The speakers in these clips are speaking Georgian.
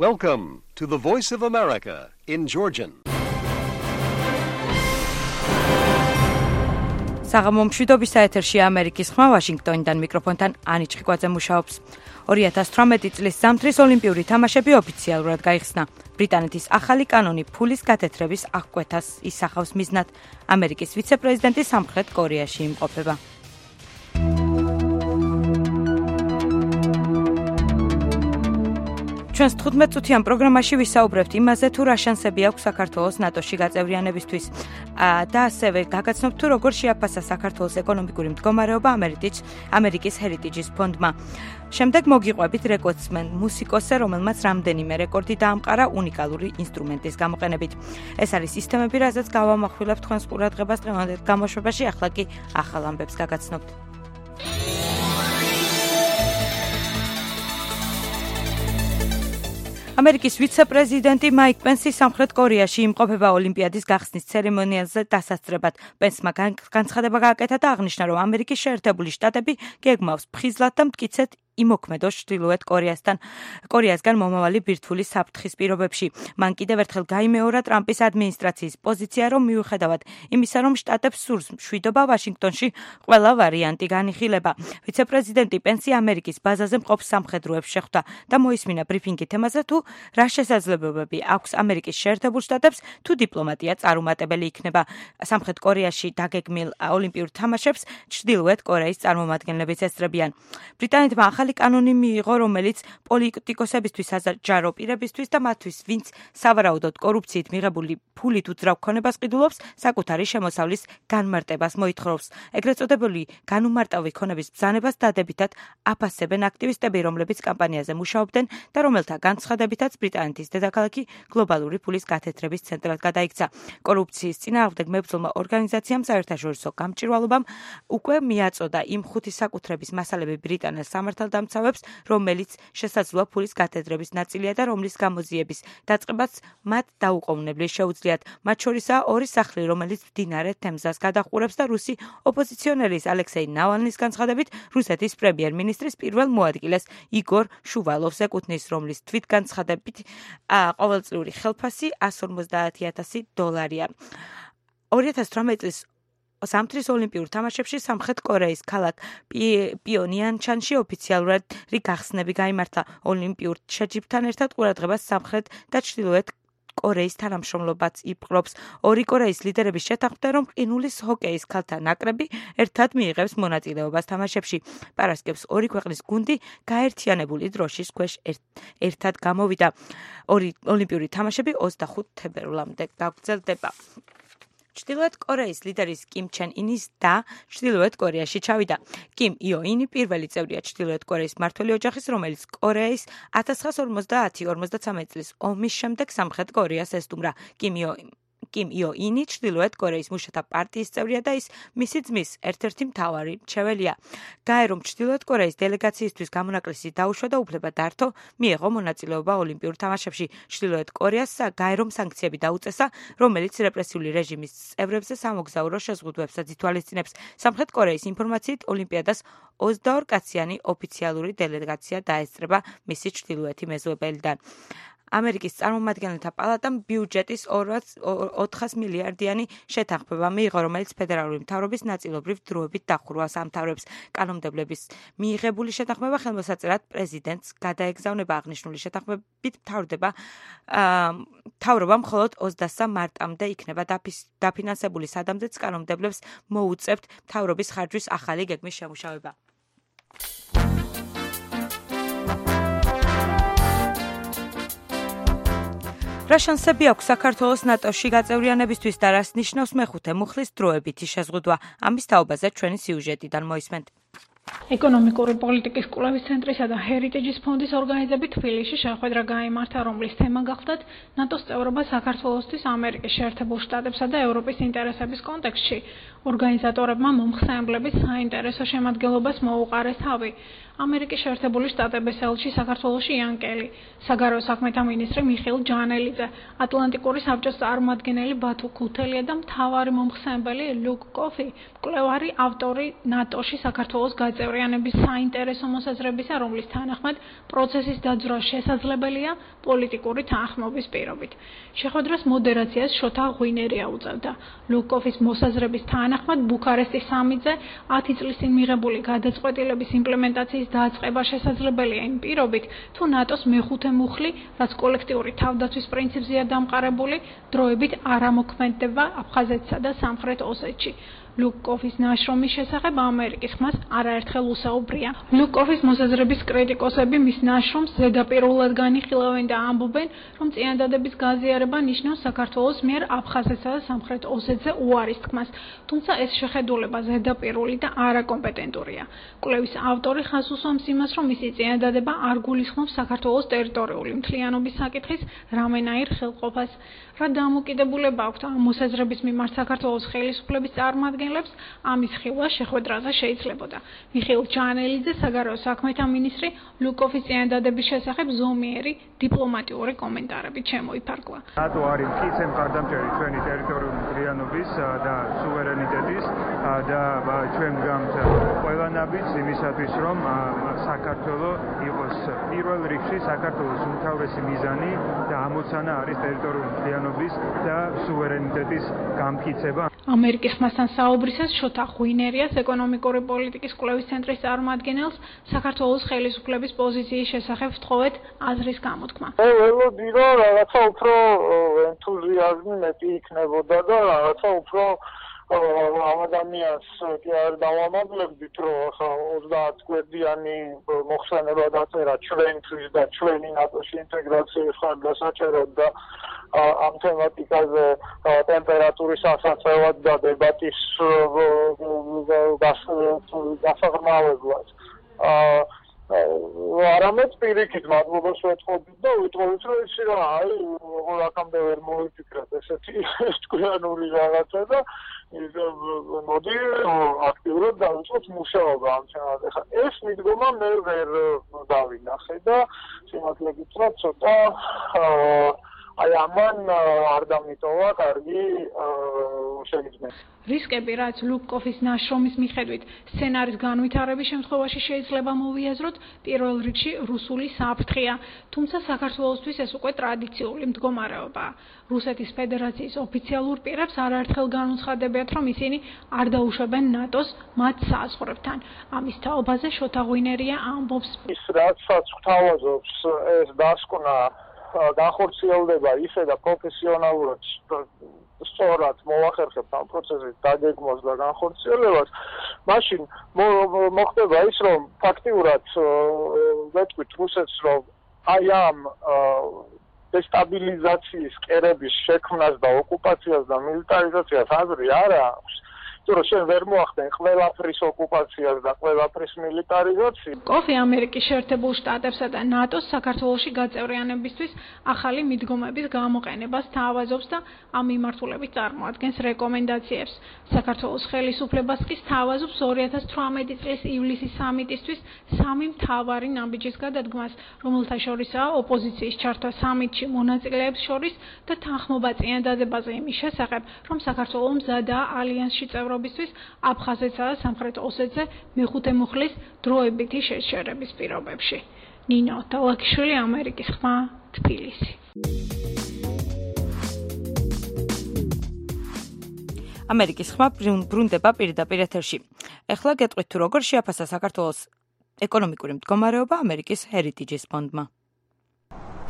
Welcome to the Voice of America in Georgian. საღამო მშვიდობის საეთერშია ამერიკის ხმა ვაშინგტონიდან მიკროფონთან ანი ჭყიკვაძე მუშაობს. 2018 წლის ზამთრის ოლიმპიური თამაშები ოფიციალურად გაიხსნა. ბრიტანეთის ახალი კანონი ფულის გათეთრების აღკვეთას ისახავს მიზნად. ამერიკის ვიცე-პრეზიდენტი სამხრეთ კორეაში იმყოფება. ჩვენს 15 წუთიან პროგრამაში ვისაუბრებთ იმაზე, თუ რა შანსები აქვს საქართველოს ნატოში გაწევრიანებისთვის და ასევე გაგაცნობთ თუ როგორ შეაფასა საქართველოს ეკონომიკური მდგომარეობა ამერიკის ჰერიტიჯის ფონდმა. შემდეგ მოგიყვებით რეკორდსმენ მუსიკოსზე, რომელმაც რამდენიმე რეკორდი დაამყარა უნიკალური ინსტრუმენტის გამოყენებით. ეს არის სისტემები, რაზეც გავამახვილებთ თქვენს ყურადღებას დღევანდელ გამოშვებაში, ახლა კი ახალ ამბებს გაგაცნობთ. ამერიკის ვიცე-პრეზიდენტი მაიკ პენსი სამხრეთ კორეაში იმყოფება ოლიმპიადის გახსნის ცერემონიალზე დასასწრებად. პენსმა განცხადება გააკეთა და აღნიშნა, რომ ამერიკის შეერთებული შტატები გეგმავს ფხიზლად და მტკიცედ იმოქმედოს ჩრდილოეთ კორეასგან მომავალი ბირთვული საფრთხის პირობებში. მან კიდევ ერთხელ გაიმეორა ტრამპის ადმინისტრაციის პოზიცია, რომ მიუხედავად იმისა, რომ შტატებს სურს მშვიდობა, ვაშინგტონში ყველა ვარიანტი განიხილება. ვიცე-პრეზიდენტი პენსი ამერიკის ბაზაზე მყოფ სამხედროებს შეხვდა და მოისმინა ბრიფინგი თემაზე, თუ რა შესაძლებლობები აქვს ამერიკის შეერთებულ შტატებს, თუ დიპლომატია წარუმატებელი იქნება. სამხრეთ კორეაში დაგეგმილ ოლიმპიურ თამაშებს ჩრდილოეთ კორეის წარმომადგენლებიც ესწრებიან. ბრიტანეთმა ახალი კანონი მიიღო, რომელიც პოლიტიკოსებისთვის, საჯარო პირებისთვის და მათთვის, ვინც სავარაუდოდ კორუფციით მიღებული ფულით უძრავ ქონებას ყიდულობს, საკუთარი შემოსავლის განმარტებას მოითხრობს. ეგრეთ წოდებული განუმარტავი ქონების ბრძანებას დადებითად აფასებენ აქტივისტები, რომლებიც კამპანიაზე მუშაობდნენ და რომელთა განცხადებითაც ბრიტანეთის დედაქალაქი გლობალური ფულის გათეთრების ცენტრად გადაიქცა. კორუფციის წინააღმდეგ მებრძოლმა ორგანიზაციამ საერთაშორისო გამჭვირვალობამ უკვე მიაწოდა იმ ხუთი საკუთრების მასალები ბრიტანელს სამართალდამცავებს, რომელიც შესაძლოა ფულის გათეთრების ნაწილია და რომლის გამოძიების დაწყებაც მათ დაუყოვნებლივ შეუძლიათ. მათ შორისაა ორი სახლი, რომელიც მდინარე თემზას გადაჰყურებს და რუსი ოპოზიციონერის ალექსეი ნავალნის განცხადებით რუსეთის პრემიერ-მინისტრის პირველ მოადგილეს იგორ შუვალოვს ეკუთვნის, რომლის თვითგანცხადებით ყოველწლიური ხელფასი $150,000. 2018 წლის ზამთრის ოლიმპიურ თამაშებში სამხრეთ კორეის ქალაქ პიონიანგში ოფიციალურად გახსნები გაიმართა. ოლიმპიურ შეჯიბრთან ერთად ყურადღებას სამხრეთ და ჩრდილოეთ კორეის თანამშრომლობაც იპყრობს. ორი კორეის ლიდერების შეთანხმდა, რომ ყინულის ჰოკეის ქალთა ნაკრები ერთად მიიღებს მონაწილეობას თამაშებში. პარასკევს ორი ქვეყნის გუნდი გაერთიანებული დროშის ქვეშ ერთად გამოვიდა. ოლიმპიური თამაშები 25 თებერვლამდე გაგრძელდება. ჩრდილოეთ კორეის ლიდერის კიმ ჩენ ინის და ჩრდილოეთ კორეაში ჩავიდა. კიმ იო ინი პირველი წევრია ჩრდილოეთ კორეის მმართველი ოჯახის, რომელიც კორეის 1950-53 წლის ომის შემდეგ სამხრეთ კორეას ესტუმრა. კიმ იო ინი ჩრდილოეთ კორეის მუშათა პარტიის წევრია და ის მისი ძმის ერთ-ერთი მთავარი მრჩეველია. გაერომ ჩრდილოეთ კორეის დელეგაციისთვის გამონაკლისი დაუშვა და უფლება დართო მიეღო მონაწილეობა ოლიმპიურ თამაშებში. ჩრდილოეთ კორეას გაერომ სანქციები დაუწესა, რომელიც რეპრესიული რეჟიმის წევრებზე სამოგზაურო შეზღუდვებსაც ითვალისწინებს. სამხრეთ კორეის ინფორმაციით ოლიმპიადას 22 კაციანი ოფიციალური დელეგაცია დაესწრება მისი ჩრდილოეთი მეზობელიდან. ამერიკის წარმომადგენელთა პალატამ ბიუჯეტის 400 მილიარდიანი შეთანხმება მიიღო, რომელიც ფედერალური მთავრობის ნაწილობრივ დროებით დახურვას ამთავრებს. კანონმდებლების მიიღებული შეთანხმება ხელმოსაწერად პრეზიდენტს გადაეგზავნება. აღნიშნული შეთანხმებით მთავრობა მხოლოდ 23 მარტამდე იქნება დაფინანსებული, სადამზეც კანონმდებლებს მოუწევთ მთავრობის ხარჯვის ახალი გეგმის შემუშავება. რა შანსები აქვს საქართველოს ნატოში გაწევრიანებისთვის და რას ნიშნავს მეხუთე მუხლის დროებითი შეზღუდვა? ამის თაობაზე ჩვენი სიუჟეტიდან მოისმენთ. ეკონომიკური პოლიტიკის კვლევის ცენტრისა და ჰერიტეჯის ფონდის ორგანიზებით თბილისში შეხვედრა გაიმართა, რომლის თემა გახლდათ ნატოს წევრობა საქართველოსთვის ამერიკის შეერთებულ შტატებსა და ევროპის ინტერესების კონტექსტში. ორგანიზატორებმა მომხსენებლების საინტერესო შემადგენლობას მოუყარეს თავი. ამერიკის შეერთებული შტატების ელჩი საქართველოში იან კელი, საგარეო საქმეთა მინისტრი მიხეილ ჯანელიძე, ატლანტიკური საბჭოს წარმომადგენელი ბათუ ქუთელია და მთავარი მომხსენებელი ლუკ კოფი, მკვლევარი ავტორი ნატოში საქართველოს გაწევრიანების საინტერესო მოსაზრებისა, რომლის თანახმად პროცესის დაძრა შესაძლებელია პოლიტიკური თანხმობის პირობით. შეხვედრას მოდერაციას შოთა ღვინერი აუწევდა. ლუკ კოფის მოსაზრების თანახმად ბუქარესტის სამიტზე 10 წლის წინ მიღებული გადაწყვეტილების იმპლემენტაციის დაწყება შესაძლებელია იმ პირობით, თუ ნატოს მეხუთე მუხლი, რაც კოლექტიური თავდაცვის პრინციპზეა დამყარებული, დროებით არ ამოქმედდება აფხაზეთსა და სამხრეთ ოსეთში. ლუკ კოფის ნაშრომის შესახებ ამერიკის ხმას არაერთხელ უსაუბრია. ლუკ კოფის მოსაზრების კრიტიკოსები მის ნაშრომს ზედაპირულად განიხილავენ და ამბობენ, რომ წინადადების გაზიარება ნიშნავს საქართველოს მიერ აფხაზეთსა და სამხრეთ ოსეთზე უარის თქმას, თუმცა ეს შეხედულება ზედაპირული და არაკომპეტენტურია. კვლევის ავტორი ხაზს უსვამს იმას, რომ მისი წინადადება არ გულისხმობს საქართველოს ტერიტორიული მთლიანობის საკითხის რამენაირ ხელყოფას. რა დამოკიდებულება აქვთ ამ მოსაზრების მიმართ საქართველოს ხელისუფლების წარმომადგენლებს, ამის ხილვა შეხვედრაზე შეიძლებოდა. მიხეილ ჯანელიძე, საგარეო საქმეთა მინისტრი, ლუკ კოფის წინადადების შესახებ ზომიერი დიპლომატიური კომენტარებით შემოიფარგლა. ნატო არის მტკიცე მხარდამჭერი ჩვენი ტერიტორიული მთლიანობის და სუვერენიტეტის და ჩვენ გგამთ ყველანაირად იმისათვის, რომ საქართველო იყოს პირველ რიგში საქართველოს უმთავრესი მიზანი და ამოცანა არის ტერიტორიული მთლიანობის და სუვერენიტეტის გამტკიცება. ამერიკის ხმასთან საუბრისას შოთა ღვინერიას ეკონომიკური პოლიტიკის კვლევის ცენტრის წარმომადგენელს საქართველოს ხელისუფლების პოზიციის შესახებ ვთხოვეთ აზრის გამოთქმა. ველოდი რომ რაღაცა უფრო ენთუზიაზმი მეტი იქნებოდა და რაღაცა უფრო ამ ადამიანს კი არ დავამაგლებდით, რომ 30 გვერდიანი მოხსენება დაწერა ჩვენთვის და ჩვენი ნატოში ინტეგრაციის ხარდასაჭერად და ამ თემატიკაზე ტემპერატურის ასაცევად და დებატის გასაღრმავებლად. არამედ პირიქით მადლობას ვეთხოვდით და ვიტყოდით, რომ ისი რა, როგორ აქამდე ვერ მოვიფიქრეთ ესეთი ჭკვიანური რაღაცა და მოდი აქტიურად დავიწყოთ მუშაობა ამ თემაზე. ეს მიდგომა მე ვერ დავინახე და სიმართლე გითხრათ, ცოტა აი ამან არ დამიტოვა კარგი შეგრძნება. რისკები, რაც ლუკ კოფის ნაშრომის მიხედვით სცენარის განვითარების შემთხვევაში შეიძლება მოვიაზროთ, პირველ რიგში რუსული საფრთხეა, თუმცა საქართველოსთვის ეს უკვე ტრადიციული მდგომარეობაა. რუსეთის ფედერაციის ოფიციალურ პირებს არაერთხელ განუცხადებიათ, რომ ისინი არ დაუშვებენ ნატოს მათ საზღვრებთან. ამის თაობაზე შოთა ღვინერია ამბობს. ის რასაც გვთავაზობს ეს დასკვნა განხორციელდება ისე და პროფესიონალურად სწორად მოვახერხებთ ამ პროცესის დაგეგმვას და განხორციელებას, მაშინ მოხდება ის, რომ ფაქტიურად ვეთქვით რუსეთს, რომ აი ამ დესტაბილიზაციის კერების შექმნას და ოკუპაციას და მილიტარიზაციას აზრი არ აქვს. რომ შენ ვერ მოახდენ ყველაფრის ოკუპაციას და ყველაფრის მილიტარიზაციას. კოფი ამერიკის შეერთებულ შტატებსა და ნატოს საქართველოში გაწევრიანებისთვის ახალი მიდგომების გამოყენებას თავაზობს და ამ მიმართულებით წარმოადგენს რეკომენდაციებს. საქართველოს ხელისუფლებას კი თავაზობს 2018 წლის ივლისის სამიტისთვის 3 მთავარი ნაბიჯის გადადგმას, რომელთა შორისაა ოპოზიციის ჩართვა სამიტში მონაწილეებს შორის და თანხმობა წინადადებაზე იმის შესახებ, რომ საქართველო მზადაა ალიანსში წევრობისთვის აფხაზეთსა და სამხრეთ ოსეთზე მეხუთე მუხლის დროებითი შეშერების პირობებში. ნინო თალაკიშვილი, ამერიკის ხმა, თბილისი. ამერიკის ხმა ბრუნდება პირდაპირ ეთერში. ეხლა გეტყვით თუ როგორ შეაფასა საქართველოს ეკონომიკური მდგომარეობა ამერიკის ჰერიტიჯის ფონდმა.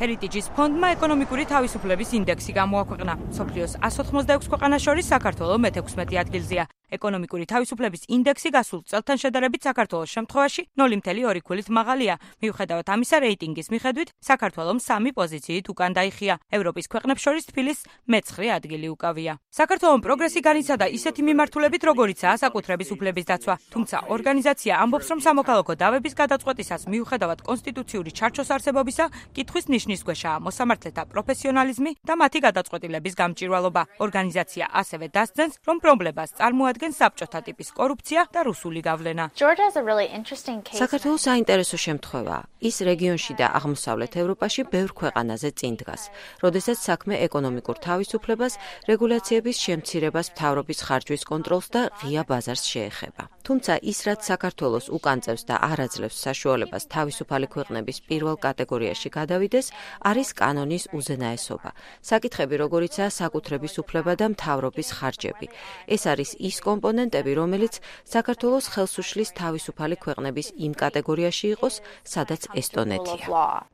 ჰერიტიჯის ფონდმა ეკონომიკური თავისუფლების ინდექსი გამოაქვეყნა. მსოფლიოს 186 ქვეყანას შორის საქართველო მე-16 ადგილზეა. ეკონომიკური თავისუფლების ინდექსი გასულ წელთან შედარებით საქართველოს შემთხვევაში 0.2 ქულით მაღალია. მიუხედავად ამისა, რეიტინგის მიხედვით საქართველომ 3 პოზიციით უკან დაიხია. ევროპის ქვეყნებს შორის თბილისს მე-9 ადგილი უკავია. საქართველოს პროგრესი განიცადა ისეთი მიმართულებით, როგორიცაა საკუთრების უფლების დაცვა. თუმცა ორგანიზაცია ამბობს, რომ სამოქალაქო დავების გადაწყვეტისას მიუხედავად კონსტიტუციური ჩარჩოს არსებობისა, კითხვის ნიშნის ქვეშაა მოსამართლეთა პროფესიონალიზმი და მათი გადაწყვეტილების გამჭვირვალობა. ორგანიზაცია ასევე დასძენს, რომ პრობლემას წარმოადგენს წარმოადგენს საბჭოთა ტიპის კორუფცია და რუსული გავლენა. საქართველოს საინტერესო შემთხვევაა. ის რეგიონში და აღმოსავლეთ ევროპაში ბევრ ქვეყანაზე წინ დგას, როდესაც საქმე ეკონომიკურ თავისუფლებას, რეგულაციების შემცირებას, მთავრობის ხარჯვის კონტროლს და ღია ბაზარს შეეხება. თუმცა ის, რაც საქართველოს უკანწევს და არ აძლევს საშუალებას თავისუფალი ქვეყნების პირველ კატეგორიაში გადავიდეს, არის კანონის უზენაესობა. საკითხები, როგორიცაა საკუთრების უფლება და მთავრობის ხარჯები. ეს არის ის კომპონენტები, რომელიც საქართველოს ხელს უშლის თავისუფალი ქვეყნების იმ კატეგორიაში იყოს, სადაც ესტონეთია.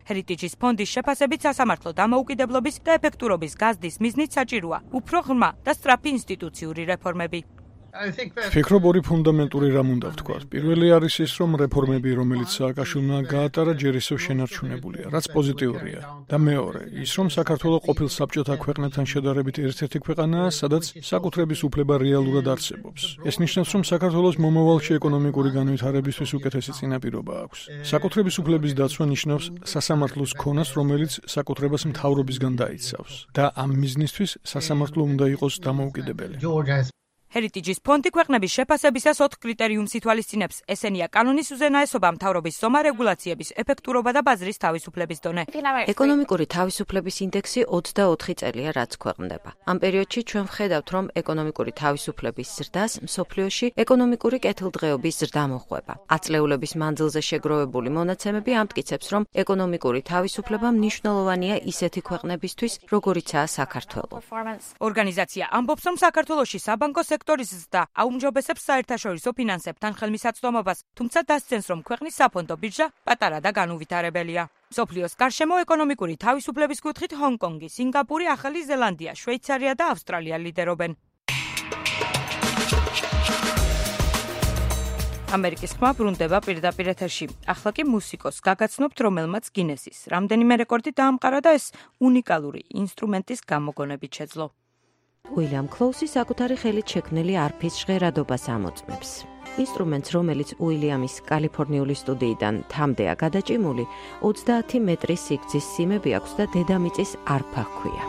ჰერიტიჯის ფონდის შეფასებით სასამართლო დამოუკიდებლობის და ეფექტურობის გაზრდის მიზნით საჭიროა უფრო ღრმა და სწრაფი ინსტიტუციური რეფორმები. ფიქრობ ორი ფუნდამენტური რამ უნდა ვთქვა. პირველი არის ის, რომ რეფორმები, რომელიც სააკაშვილმა გაატარა, ჯერ ისევ შენარჩუნებულია, რაც პოზიტიურია. და მეორე, ის, რომ საქართველო ყოფილ საბჭოთა ქვეყნებთან შედარებით ერთ-ერთი ქვეყანაა, სადაც საკუთრების უფლება რეალურად არსებობს. ეს ნიშნავს, რომ საქართველოს მომავალში ეკონომიკური განვითარებისთვის უკეთესი წინაპირობა აქვს. საკუთრების უფლების დაცვა ნიშნავს სასამართლოს ქონას, რომელიც საკუთრებას მთავრობისგან დაიცავს. და ამ მიზნისთვის სასამართლო უნდა იყოს დამოუკიდებელი. ჰერიტიჯის ფონდი ქვეყნების შეფასებისას 4 კრიტერიუმს ითვალისწინებს. ესენია კანონის უზენაესობა, მთავრობის ზომა, რეგულაციების ეფექტურობა და ბაზრის თავისუფლების დონე. ეკონომიკური თავისუფლების ინდექსი 24 წელია, რაც ქვეყნდება. ამ პერიოდში ჩვენ ვხედავთ, რომ ეკონომიკური თავისუფლების ზრდას მსოფლიოში ეკონომიკური კეთილდღეობის ზრდა მოჰყვება. აწლეულების მანძილზე შეგროვებული მონაცემები ამტკიცებს, რომ ეკონომიკური თავისუფლება მნიშვნელოვანია ისეთი ქვეყნებისთვის, როგორიცაა საქართველო. ორგანიზაცია ამბობს, რომ საქართველოში საბანკო სექტორის ზრდა აუმჯობესებს საერთაშორისო ფინანსებთან ხელმისაწვდომობას, თუმცა დასცენს, რომ ქვეყნის საფონდო ბირჟა პატარა და განუვითარებელია. მსოფლიოს გარშემო ეკონომიკური თავისუფლების კუთხით ჰონკონგი, სინგაპური, ახალი ზელანდია, შვეიცარია და ავსტრალია ლიდერობენ. ამერიკის ხმა ბრუნდება პირდაპირ ეთერში. ახლა კი მუსიკოს გაგაცნობთ, რომელმაც გინესის რამდენიმე რეკორდი დაამყარა და ეს უნიკალური ინსტრუმენტის გამოგონებით შეძლო. უილიამ კლოუსი საკუთარი ხელით შექმნილი არფის ჟღერადობას ამოწმებს. ინსტრუმენტს, რომელიც უილიამის კალიფორნიული სტუდიიდან თამდეა გადაჭიმული, 30 მეტრის სიგრძის სიმები აქვს და დედამიწის არფა ჰქვია.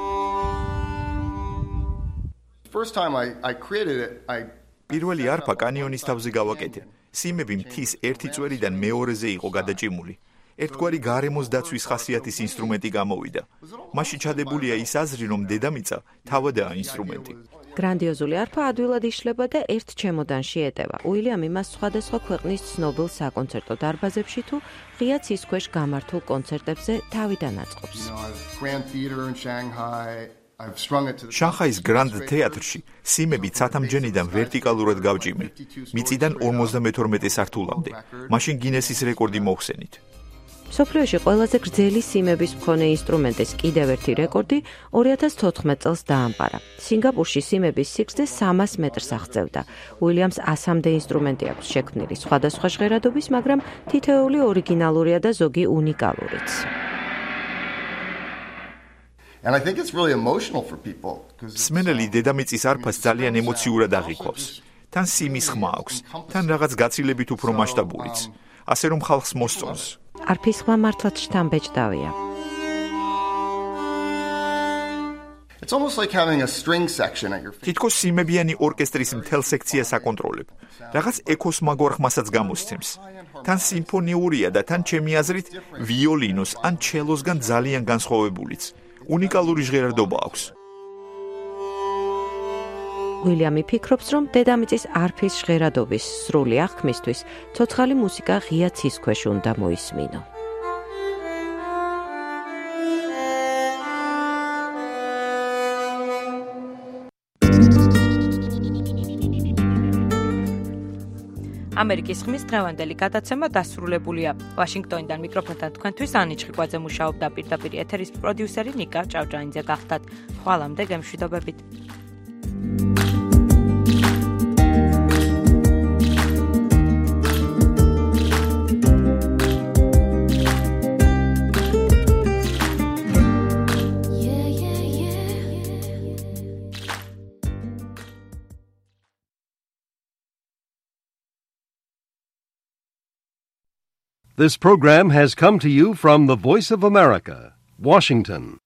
პირველი არფა კანიონის თავზე გავაკეთე. სიმები მთის ერთი წვერიდან მეორეზე იყო გადაჭიმული. ერთგვარი გარემოს დაცვის ხასიათის ინსტრუმენტი გამოვიდა. მაშინ ჩადებულია ის აზრი, რომ დედამიწა თავადაა ინსტრუმენტი. გრანდიოზული არფა ადვილად იშლება და ერთ ჩემოდანში ეტევა. უილიამი მას სხვადასხვა ქვეყნის ცნობილ საკონცერტო დარბაზებში თუ ღია ცის ქვეშ გამართულ კონცერტებზე თავიდან აწყობს. შანხაის გრანდ თეატრში სიმები ცათამჯენიდან ვერტიკალურად გავჭიმე. მიწიდან 52 სართულამდე. მაშინ გინესის რეკორდი მოხსენით. მსოფლიოში ყველაზე გრძელი სიმების მქონე ინსტრუმენტის კიდევ ერთი რეკორდი 2014 წელს დაამყარა. სინგაპურში სიმების სიგრძე 300 მეტრს აღწევდა. უილიამს 100-მდე ინსტრუმენტი აქვს შექმნილი სხვადასხვა ჟღერადობის, მაგრამ თითოეული ორიგინალურია და ზოგი უნიკალურიც. მსმენელი დედამიწის არფას ძალიან ემოციურად აღიქვავს. თან სიმის ხმა აქვს, თან რაღაც გაცილებით უფრო მასშტაბურიც. ასე რომ ხალხს მოსწონს. არფის ხმა მართლაც შთამბეჭდავია. თითქოს სიმებიანი ორკესტრის მთელ სექციას აკონტროლებ. რაღაც ექოს მაგვარ ხმასაც გამოსცემს. თან სიმფონიურია და თან ჩემი აზრით ვიოლინოს ან ჩელოსგან ძალიან განსხვავებულიც. უნიკალური ჟღერადობა აქვს. უილიამი ფიქრობს, რომ დედამიწის არფის ჟღერადობის სრული აღქმისთვის ცოცხალი მუსიკა ღია ცის ქვეშ უნდა მოისმინო. ამერიკის ხმის დღევანდელი გადაცემა დასრულებულია. ვაშინგტონიდან მიკროფონთან თქვენთვის ანი ჩხიკვაძე მუშაობდა, პირდაპირ ეთერის პროდიუსერი ნიკა ჭავჭანიძე გახდათ. ხვალამდე გემშვიდობებით. This program has come to you from the Voice of America, Washington.